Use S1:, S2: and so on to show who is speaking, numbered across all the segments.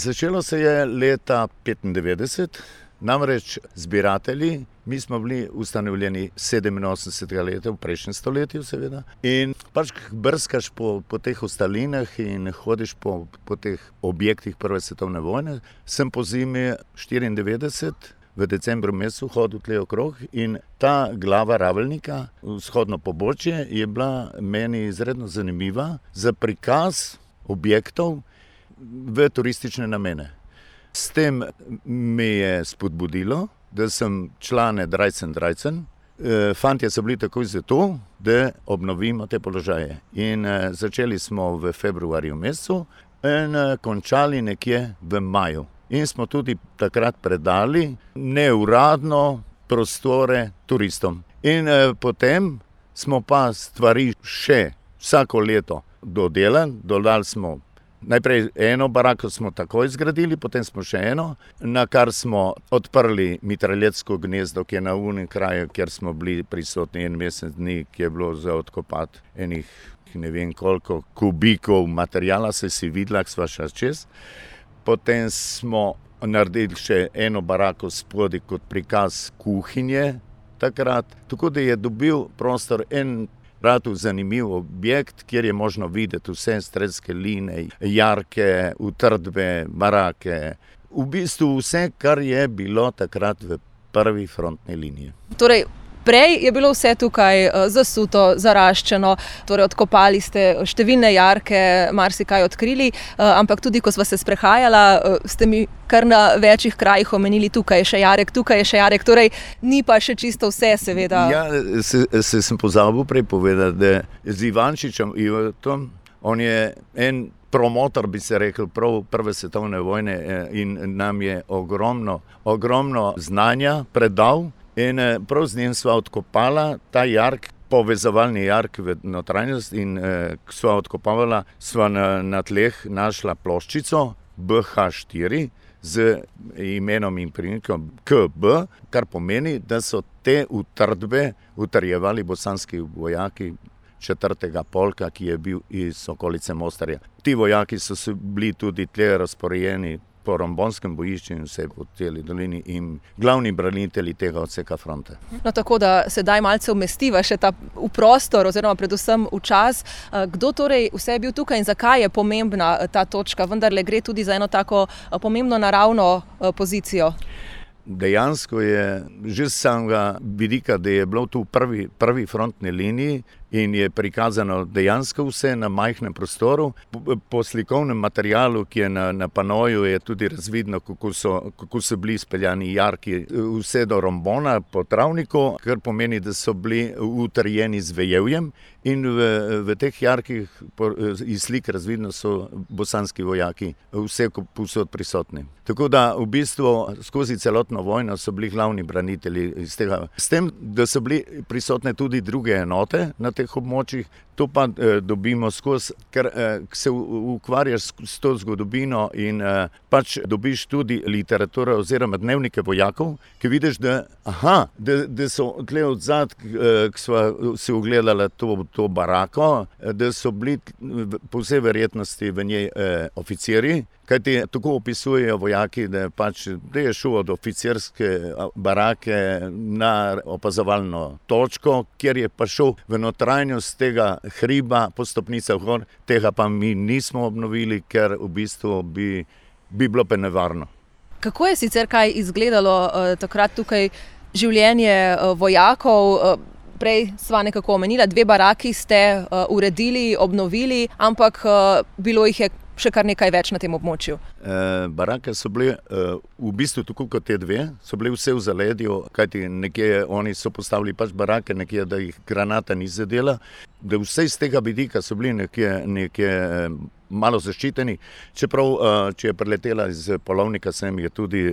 S1: Začelo se je leta 1995, namreč zbiratelji, mi smo bili ustanovljeni 87. leta v prejšnjem stoletju seveda in pač brskaš po teh ostalinah in hodiš po teh objektih Prve svetovne vojne. Sem po zimi 94 v decembru mesecu hodil tle okrog in ta glava Ravelnika, vzhodno pobočje, je bila meni izredno zanimiva za prikaz objektov v turistične namene. S tem me je spodbudilo, da sem člane Drajcen. Fantje so bili takoj za to, da obnovimo te položaje. In začeli smo v februarju mesecu in končali nekje v maju. In smo tudi takrat predali neuradno prostore turistom. In potem smo pa stvari še vsako leto dodelali, dodali smo najprej eno barako smo takoj zgradili, potem smo še eno, na kar smo odprli mitraljezsko gnezdo, ki je na unem kraju, kjer smo bili prisotni en mesec dni, ki je bilo za odkopati enih ne vem koliko kubikov materijala, se si videla, sva šla čez. Potem smo naredili še eno barako spodaj kot prikaz kuhinje takrat, tako da je dobil prostor en ratu zanimiv objekt, kjer je možno videti vse strelske linije, jarke, utrdbe, barake. V bistvu vse, kar je bilo takrat v prvi frontni liniji.
S2: Torej, prej je bilo vse tukaj zasuto, zaraščeno, torej odkopali ste številne jarke, marsikaj odkrili, ampak tudi, ko sva se sprehajala, ste mi kar na večjih krajih omenili, tukaj je še jarek, torej ni pa še čisto vse, seveda.
S1: Ja, sem pozabil prej povedati, da z Ivančičem Ivatom, on je en promotor, bi se rekel, prav Prve svetovne vojne in nam je ogromno znanja predal. In prav z njim sva odkopala ta jark, povezovalni jark v notranjost in sva odkopavala, sva na tleh našla ploščico BH4 z imenom in priimkom KB, kar pomeni, da so te utrdbe utrjevali bosanski vojaki 4. polka, ki je bil iz okolice Mostarja. Ti vojaki so bili tudi tle razporejeni po Rombonskem bojišču in vse po celi dolini in glavni branitelji tega odseka fronte.
S2: No, tako da sedaj malce umestiva še v prostor oziroma predvsem v čas. Kdo torej vse je bil tukaj in zakaj je pomembna ta točka? Vendarle gre tudi za eno tako pomembno naravno pozicijo.
S1: Dejansko je že z samega vidika, da je bilo tu v prvi frontni liniji in je prikazano dejansko vse na majhnem prostoru. Po slikovnem materialu, ki je na panoju, je tudi razvidno, kako so bili izpeljani jarki vse do Rombona po travniku, kar pomeni, da so bili utrjeni z vejevjem in v teh jarkih iz slik razvidno so bosanski vojaki vse povsod prisotni. Tako da v bistvu skozi celotno vojno so bili glavni branitelji iz tega. S tem, da so bili prisotne tudi druge enote na teh območjih, to pa dobimo skozi, ker se ukvarjaš s to zgodovino in pač dobiš tudi literaturo oziroma dnevnike vojakov, ki vidiš, da so tle odzad, ki sva si ogledala to barako, da so bili po vsej verjetnosti v njej oficirji, kajti tako opisujejo vojaki, da je šel od oficirske barake na opazovalno točko, kjer je pa šel v notranjost tega hriba po stopnicah gor, tega pa mi nismo obnovili, ker v bistvu bi bilo pa nevarno.
S2: Kako je sicer kaj izgledalo takrat tukaj življenje vojakov? Prej sva nekako omenila, 2 baraki ste uredili, obnovili, ampak bilo jih je še kar nekaj več na tem območju.
S1: Barake so bile v bistvu tako kot te 2, so bile vse v zaledju, kajti nekje oni so postavili pač barake, nekje, da jih granata ni zadela, da vse iz tega vidika so bili nekje malo zaščiteni, čeprav, če je preletela iz polovnika sem, je tudi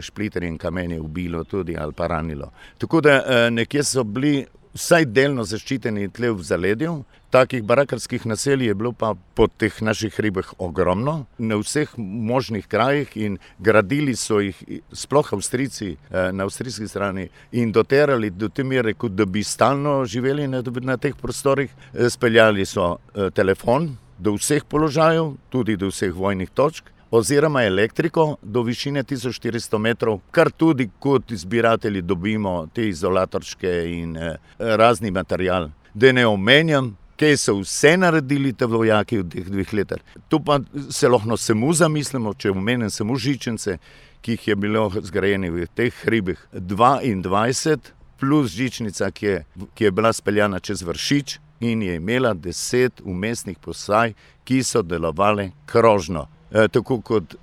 S1: špliterje in kamenje ubilo tudi ali pa ranilo. Tako da nekje so bili vsaj delno zaščiteni tle v zaledju. Takih barakarskih naselij je bilo pa po teh naših hribih ogromno, na vseh možnih krajih in gradili so jih sploh Avstrijci na avstrijski strani in doterali do te mere, kot da bi stalno živeli na teh prostorih. Speljali so telefon do vseh položajev, tudi do vseh vojnih točk. oziroma elektriko do višine 1400 metrov, kar tudi kot zbiratelji dobimo te izolatorčke in razni material. Da ne omenjam, kaj so vse naredili te vojaki v teh 2 letih. Tu pa se lahko samo zamislimo, če omenim samo žičnice, ki jih je bilo zgrajeni v teh hribih 22, plus žičnica, ki je bila speljana čez Vršič in je imela 10 vmesnih postaj, ki so delovale krožno. Tako kot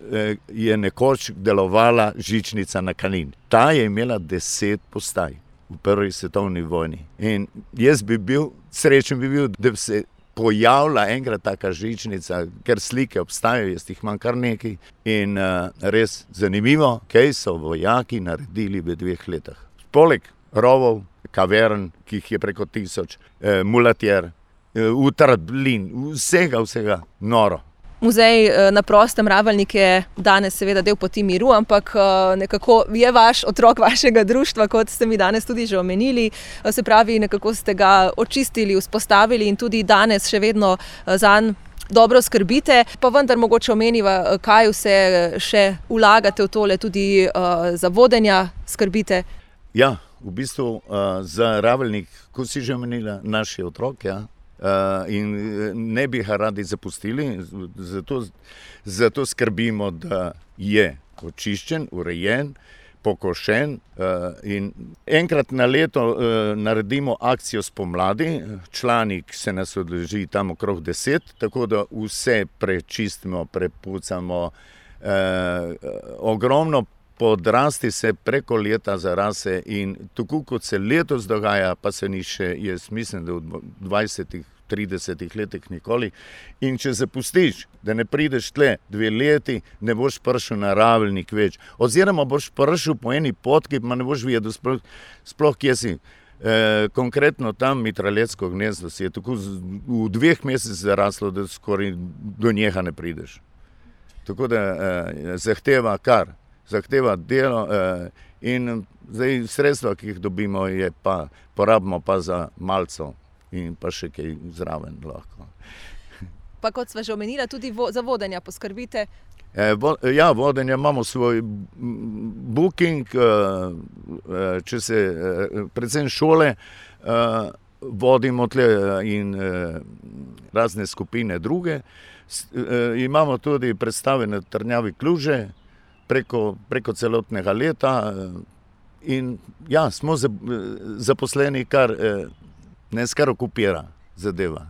S1: je nekoč delovala žičnica na Kanin. Ta je imela 10 postaj v prvi svetovni vojni. In jaz bi bil, srečen bi bil, da bi se pojavila enkrat taka žičnica, ker slike obstajajo, jaz jih imam kar nekaj. In res zanimivo, kaj so vojaki naredili v 2 letih. Poleg rovov, kavern, ki jih je preko 1000, mulatjer, utrblin, vsega noro.
S2: Muzej na prostem Ravelnik je danes seveda del Poti miru, ampak nekako je vaš otrok vašega društva, kot ste mi danes tudi že omenili. Se pravi, nekako ste ga očistili, vzpostavili in tudi danes še vedno zanj dobro skrbite. Pa vendar mogoče omeniva, kaj vse še vlagate v tole, tudi za vodenja skrbite.
S1: Ja, v bistvu za Ravelnik, ko si že omenila, naš je otrok, ja. In ne bi ga radi zapustili, zato skrbimo, da je očiščen, urejen, pokošen in enkrat na leto naredimo akcijo spomladi, članik se nas odleži tam okrog 10, tako da vse prečistimo, prepucamo, ogromno podrasti se preko leta zarase in tako kot se letos dogaja, pa se ni še, jaz mislim, da v 20-30 letih nikoli. In če zapustiš, da ne prideš tle 2 leti, ne boš prišel na Ravelnik več. Oziroma boš prišel po eni potki, pa ne boš videl sploh kje si. Konkretno tam Mitraletsko gnezdo si je tako v 2 mesecih zaraslo, da skoraj do njega ne prideš. Tako da zahteva delo in zdaj sredstva, ki jih dobimo, porabimo pa za malco in pa še kaj zraven lahko.
S2: Pa kot sva že omenila, tudi za vodenja poskrbite?
S1: Ja, vodenja imamo svoj booking, če se predvsem šole vodimo tle in razne skupine druge. Imamo tudi predstave na Trnjavi Kluže, preko celotnega leta in ja, smo zaposleni, kar okupira zadeva.